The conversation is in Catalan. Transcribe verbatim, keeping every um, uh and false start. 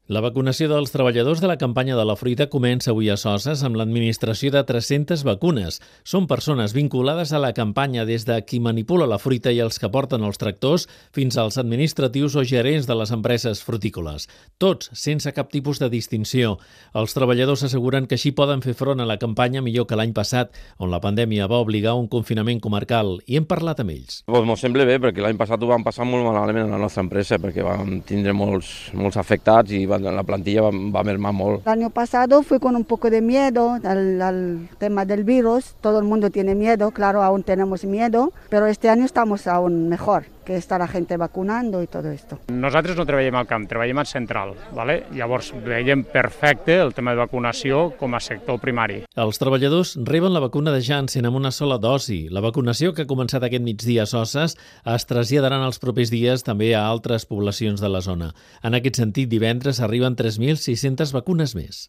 La vacunació dels treballadors de la campanya de la fruita comença avui a Soses amb l'administració de tres-centes vacunes. Són persones vinculades a la campanya des de qui manipula la fruita i els que porten els tractors fins als administratius o gerents de les empreses frutícoles. Tots sense cap tipus de distinció. Els treballadors asseguren que així poden fer front a la campanya millor que l'any passat, on la pandèmia va obligar a un confinament comarcal, i hem parlat amb ells. Pues m'ho sembla bé, perquè l'any passat ho vam passar molt malament a la nostra empresa, perquè vam tindre molts, molts afectats i la plantilla va, va mermar molt. El año pasado fui con un poco de miedo al, al tema del virus. Todo el mundo tiene miedo, claro, aún tenemos miedo, pero este año estamos aún mejor, que està la gent vacunando i tot esto. Nosaltres no treballem al camp, treballem al central, ¿vale? Llavors veiem perfecte el tema de vacunació com a sector primari. Els treballadors reben la vacuna de Janssen amb una sola dosi. La vacunació, que ha començat aquest migdia a Soses, es traslladarà en els propers dies també a altres poblacions de la zona. En aquest sentit, divendres arriben tres mil sis-centes vacunes més.